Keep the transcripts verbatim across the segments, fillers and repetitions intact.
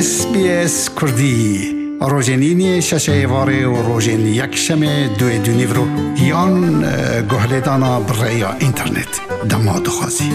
S B S Kurdî, rojên îniyê şeşê êvarê û rojên yekşemê duê dûnîvro yan, e, guhlêdana bi rêya înternet. Dema dixwazî.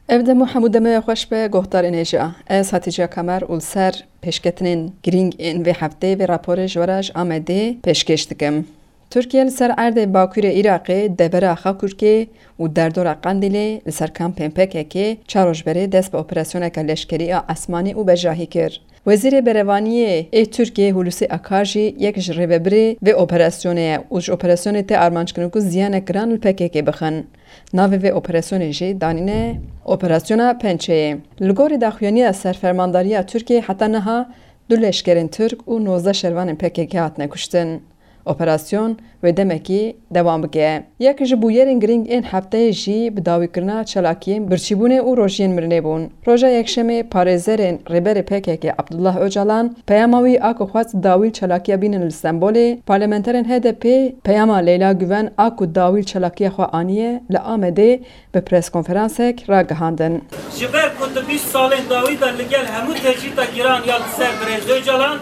Ev dem û hemû demê xweş be, guhdarên hêja. Ez Hatice Kamer û li ser pêşketinên girîng ên vê hefteyê vê raporê ji we re ji Amedê pêşkêş dikim. Tirkiye li ser erdê bakurê Iraqê, devera Xakurkê û derdora Qendîlê li ser kampên P K K çar roj berê dest bi operasyoneke leşkerî a esmanî û bejahî kir. Wezîrê Berevaniyê ê Tirkiyê Hulusi Akar jî yek ji rêvebirê vê operasyonê ye û ji operasyonê tê armanc kirin ku ziyanek giran li P K K bixin. Navê vê operasyonê jî danîne Operasyona Pençeyê. Li gorî daxuyaniya Serfermandariya Tirkiyê heta niha du leşkerên Tirk û nozdeh şervanên P K K hatine kuştin. Operasyon wê demekî dewam bike. Yek ji bûyerên girîng ên hefteyê jî bi dawîkirina çalakiyên birçîbûnê û rojiyên mirinê bûn. Roja Yekşemê parêzerên Rêberê P K K Abdullah Ocalan peyama wî a ku xwest dawî li çalakiya bînin li Stenbolê, parlamenterên H D P peyama Leyla Güven a ku dawî li çalakiya xwe aniye li Amedê bi preskonferansek ragihandin. Ji ber ku di bîst salên dawî de li gel hemû tecrîda giran ya li ser birêz Ocalan,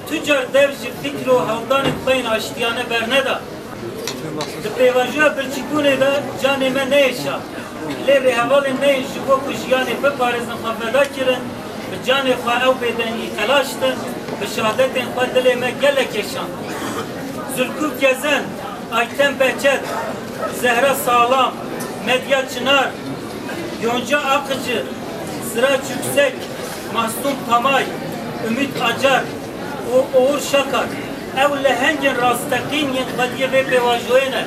tu car dev ji fikr û hewldanên xwe yên aştiyane berneda. Di pêvajoya birçîbûnê de canê me neyêşa. Lê rêhevalên me yên ji bo ku jiyanê biparêzin xwe feda kirin, bi canê xwe ew bêdengî telaş din, bi şehadetên xwe dilê me gelek kêşand. Zulkûf Gezen, Ayten Behçet, Zehra Sağlam, Medya Çınar, Yonca Akıcı, Sirac Yüksek, Mahsun Pamay, Ümit Acar û Oğur Şakar, ew lehengên rasteqîn yên xwediyê vê pêvajoyê ne.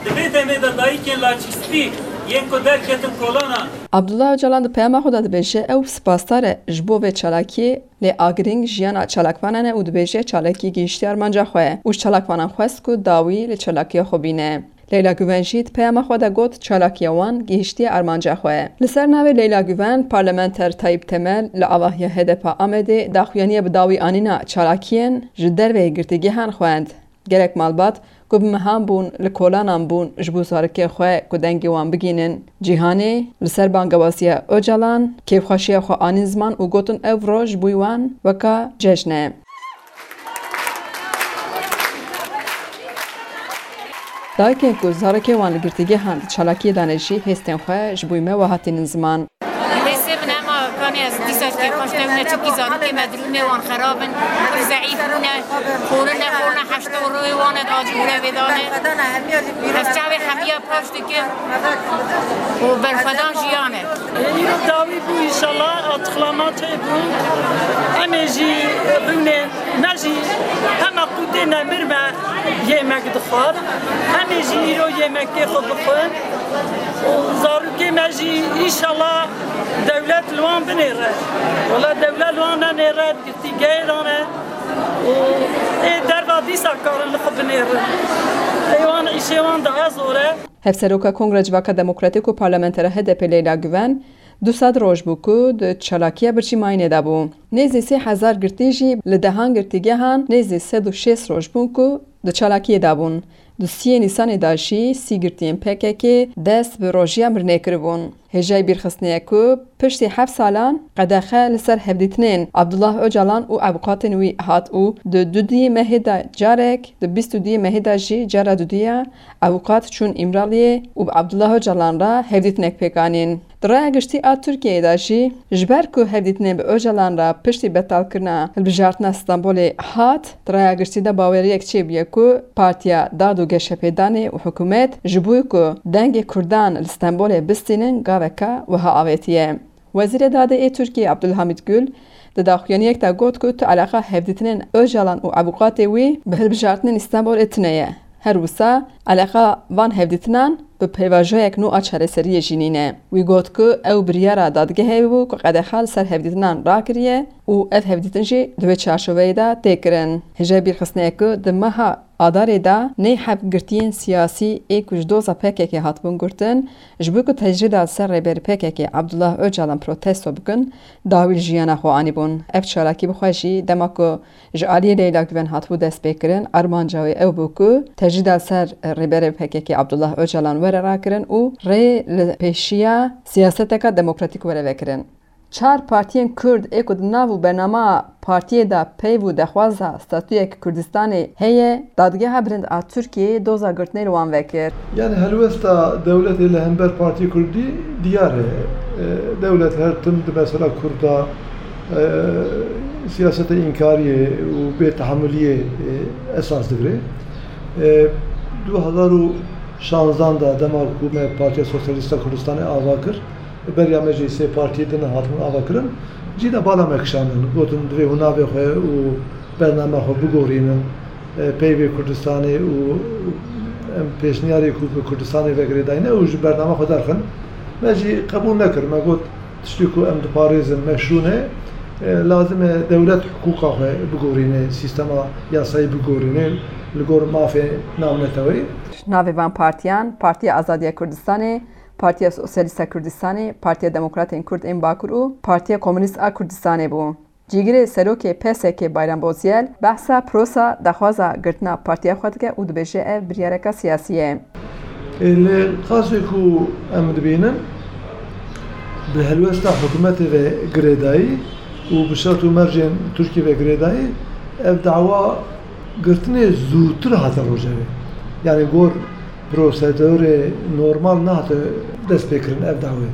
Di vê demê de dayikên laçîkspî yên ku derketin kolana, Abdullah Ocalan di peyama xwe de dibêje, ew spasdar e ji bo vê çalakiyê, lê a girîng jiyana çalakvanan e û dibêje çalakî gihîştiye armanca xwe û ji çalakvanan xwest ku dawî li çalakiya xwe bîne. Leyla Güven jî di peyama xwe de got, çalakiya wan gihîştiye armanca xwe. Li ser navê Leyla Güven, parlamenter Tayyip Temel li avahiya H D P Amedê daxuyaniya bi dawî anîna çalakiyên ji derveyî girtîgehan xwend. Gelek malbat ku bi mehan bûn, li kolanan bûn ji bo zarokên xwe ku dengê wan bigihînin cîhanê, li ser bangewaziya Ocalan kêfxweşiya xwe anîn ziman û gotin ev roj ji bo wan weka cejn e. Dayikên ku zarokê wan li girtîgehan di çalakiyê de ne jî hêstên xwe ji bo me we hatînin ziman. Hêsê min hema kanê ez dîsa kêfxweş nebûm, ne çimkî zarokê me dirûnê wan xerab in, pir zeîf bûne, xwarin nexwarine, heşta rûyê wan e, acî grevê dane. Ez çavê hemiya paş dikim û berxwedan jiyan e. Îro dawî bû, înşallah, açıklama çêbû. Em ê jî rûnê me jî hema qûtê nemir me yemek dixwar. Em ê jî îro yemekê xwe bixwin. Û zarokê me jî înşallah dewlet li wan binêre. Wela dewlet li wan nenêre, girtîgehê dane. Û ê derva dîsa karin li xwe binêrin. Ê wan îşê wan daha zor e. Hevseroka Kongre Civaka Demokratîk û parlamentera H D P Leyla Güven, du sed roj bû ku di çalakiya birçîmayînê de bû. Nêzî sê hezar girtî jî li dehan girtîgehan nêzî sed û şêst roj bûn ku di çalakiyê de bûn. Di siyê Nîsanê de jî sî girtiyên P K K dest bi rojiya mirinê kiribûn. Hêjayî bîrxistinê ye ku piştî heft salan qedexe li ser hevdîtinên Abdullah Ocalan û ewqatên wî hat û di dudiyê mehê de carek, di bîst û duyê mehê de jî cara dudiya ewqat çûn Îmraliyê û bi Abdullah Ocalan re hevdîtinek pêk anîn. Di raya giştî a Tirkiyeyê de jî, ji ber ku hevdîtinên bi Ocalan re piştî betalkirina hilbijartina Stenbolê hat, di raya giştî de baweriyek çêbûye ku Partiya Dad û Geşepêdanê û hikûmet ji bo ku dengê Kurdan li Stenbolê bistînin gaveke wiha avêtiye. Wezîrê Dadê ê Tirkiyê Abdulhamid Gül di daxuyaniyek de got ku tu eleqa hevdîtinên Ocalan û ewqatê wî bi hilbijartinên Stenbolê tune ye. Her wisa eleqa van hevdîtinan bi pêvajoyek nû a çareseriyê jî nîne. Wî got ku ew biryara dadgehê bû ku qedexa li ser hevdîtinan rakiriye û ev hevdîtin jî di wê çarçoveyê de tê kirin. Hêjayî bîrxistinê ye ku di meha Adarê de neh heb girtiyên siyasî ê ku ji doza P K K hatibûn girtin, ji bo ku tecrîda li ser rêberê P K K Abdullah Ocalan protesto bikin, dawî li jiyana xwe anîbûn. Ev çalakî bi xwe jî dema ku ji aliyê Leyla Güven hatibû destpêkirin, armanca wê ew bû ku tecrîda li ser rêberê P K K Abdullah Ocalan rakirin û rê li pêşiya siyaseteke demokratîk were vekirin. Çar partiyên Kurd ê ku di nav û bernama partiyê de peyv û dexwaza statuyek Kurdistanê heye, Dadgeha Bilind a Tirkiyeyê doza girtinê li wan vekir. Yani helwesta dewletê li hember Partiyê Kurdî diyar e. E, dewlet her tim di mesela Kurda, e, siyaseta înkariyê û bêtehemuliyê, e, esas digire. E, du hezar û şanzan de dema ku me Partiya Sosyalîst a Kurdistanê ava kir, beriya me jî sê partiyê din hatin ava kirin, cî de bala me kişandin. Gotin, divê hûn navê xwe û bernama xwe bigorînin, e, peyvê Kurdistanê û em pêşniyarê ku bi Kurdistanê ve girêdayî ne û ji bernama xwe derxin. Me jî qebûl nekir. Me got, tiştê ku em diparêzin meşrû ne, e, lazim e dewlet hiqûqa xwe bigorîne, sîstema yasayî bigorîne, li gor mafê navneteweyî. Navê van partiyan, Partiya Azadiya Kurdistanê, Partiya Sosyalîst a Kurdistanê, Partiya Demokratên Kurd ên Bakur û Partiya Komunîst a Kurdistanê bû. Cîgirê serokê P S K Bayram Bozyel behsa prosa daxwaza girtina partiya xwe dike û dibêje ev biryareka siyasî ye. Ê, li qasê ku em dibînin, bi helwesta hikûmetê ve girêdayî û bi şert û mercên Tirkiyê ve girêdayî, ev dawa girtinê zûtir hate rojevê. Yani gor prosedurê normal nehate destpêkirin ev dawê.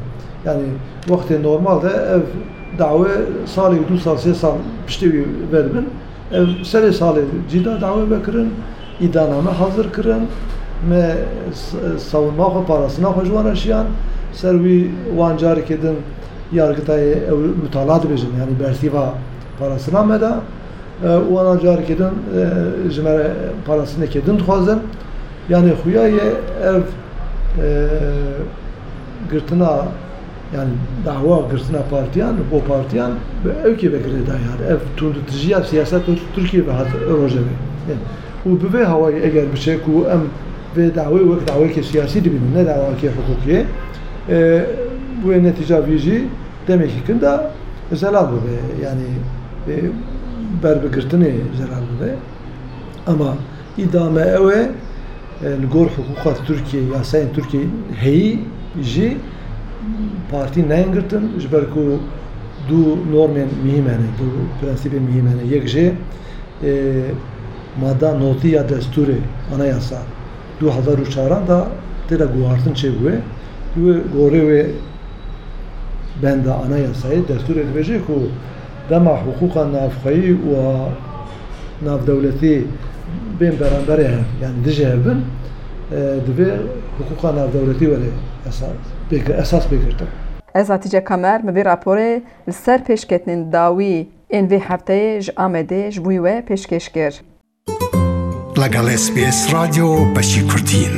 Yani wextê normal de ev dawe salê, du sal, sê sal piştê wî vedibin. Ev serê salê cî de dawe vekirin, îdaname hazir kirin, me s-, savunma xwe, parastina xwe ji wan re şiyan, ser wî wan carekê din yargitayê ew mutala dibêjin, yani bersîva parastina me de, e, û wana carekê din, e, ji me re parastinekê din dixwazin. Yani xuya ye ev, e, girtina, yani dawa girtina partiyan, bo partiyan bi ewkê ve girêdayî hat. Ev tundutijiya siyaseta Tirkiyê ve hat rojevê. Yani, û bi vê hawayî eger biçe ku em vê dawê wek dawayekê siyasî dibînin, ne dawayekê hiqûqî, e, wê netîca vî jî demekî kin de zelal bibe. Yani, e, ber bi girtinê zelal bibe. Ama îdia me ew e, e, li gor hiqûqa Tirkiyê, yasayên Tirkiyê heyî jî partî neyên girtin, ji ber ku du normên mihîm hene, du prensîbên mihîm hene. Yek jê, e, mada notî ya destûrê, anayasa, du hezar û çaran de tê de guhartin çêbûye. Wê gorê wê benda anayasayê, destûrê dibêje ku dema hiqûqa navxweyî û a navdewletî bên beramberê hev, yani dijî hev bin, e, divê hiqûqa navdewletî were esas pê girtin. Ez Hatice Kamer, min vê raporê li ser pêşketinên dawî ên vê hefteyê ji Amedê ji bo we pêşkêş kir. لەگەڵ S B S رادیۆ بەشی کوردین.